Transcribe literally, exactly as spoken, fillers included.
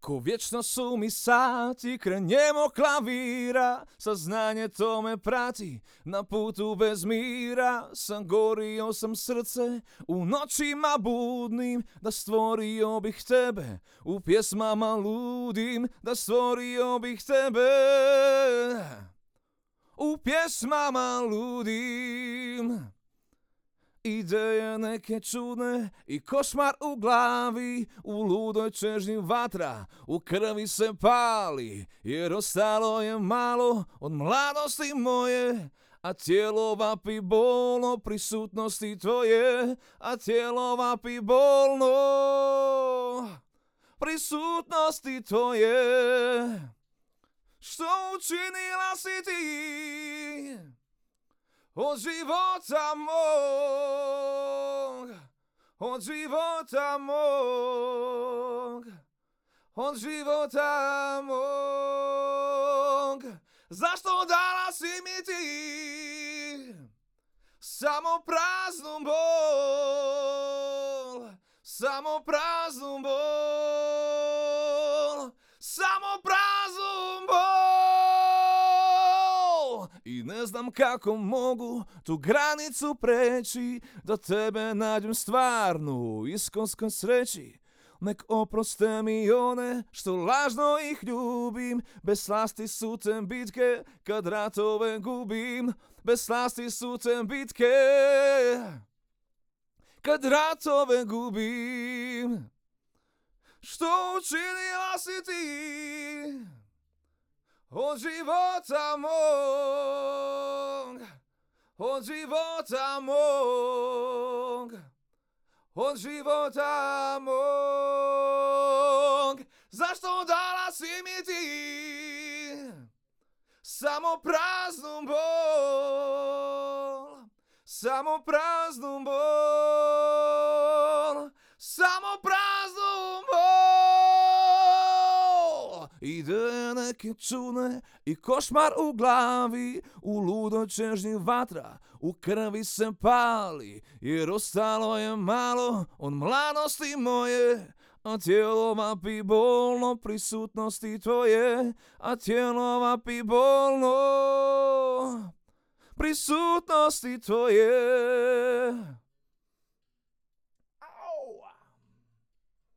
Ko vječno su mi sati kraj njemog klavira, saznanje to me prati na putu bez mira. Sam gorio sam srce u noćima budnim, da stvorio bih tebe u pjesmama ludim, da stvorio bih tebe u pjesmama ludim. Ideje neke čudne i košmar u glavi, u ludoj čežnji vatra u krvi se pali, jer ostalo je malo od mladosti moje, a tijelo vapi bolno prisutnosti tvoje, a tijelo vapi bolno prisutnosti tvoje. Što učinila si ti od života mog, od života mog, od života mog? Zašto dala si mi ti samo praznu bol, samo praznu bol, samo praznu bol? I ne znam kako mogu tu granicu preći, da tebe nađem stvarnu iskonskoj sreći. Nek oproste mi one što lažno ih ljubim, bez slasti su te bitke kad ratove gubim, bez slasti su te bitke kad ratove gubim. Što učinila si ti od života mog, od života mog, od života mog? Zašto dala si mi ti samo praznu bol, samo praznu bol, samo praznu bol? Ideje neke čudne i košmar u glavi, u ludoj čežnji vatra u krvi se pali, jer ostalo je malo od mladosti moje, a tijelo vapi bolno prisutnosti tvoje, a tijelo vapi bolno prisutnosti tvoje.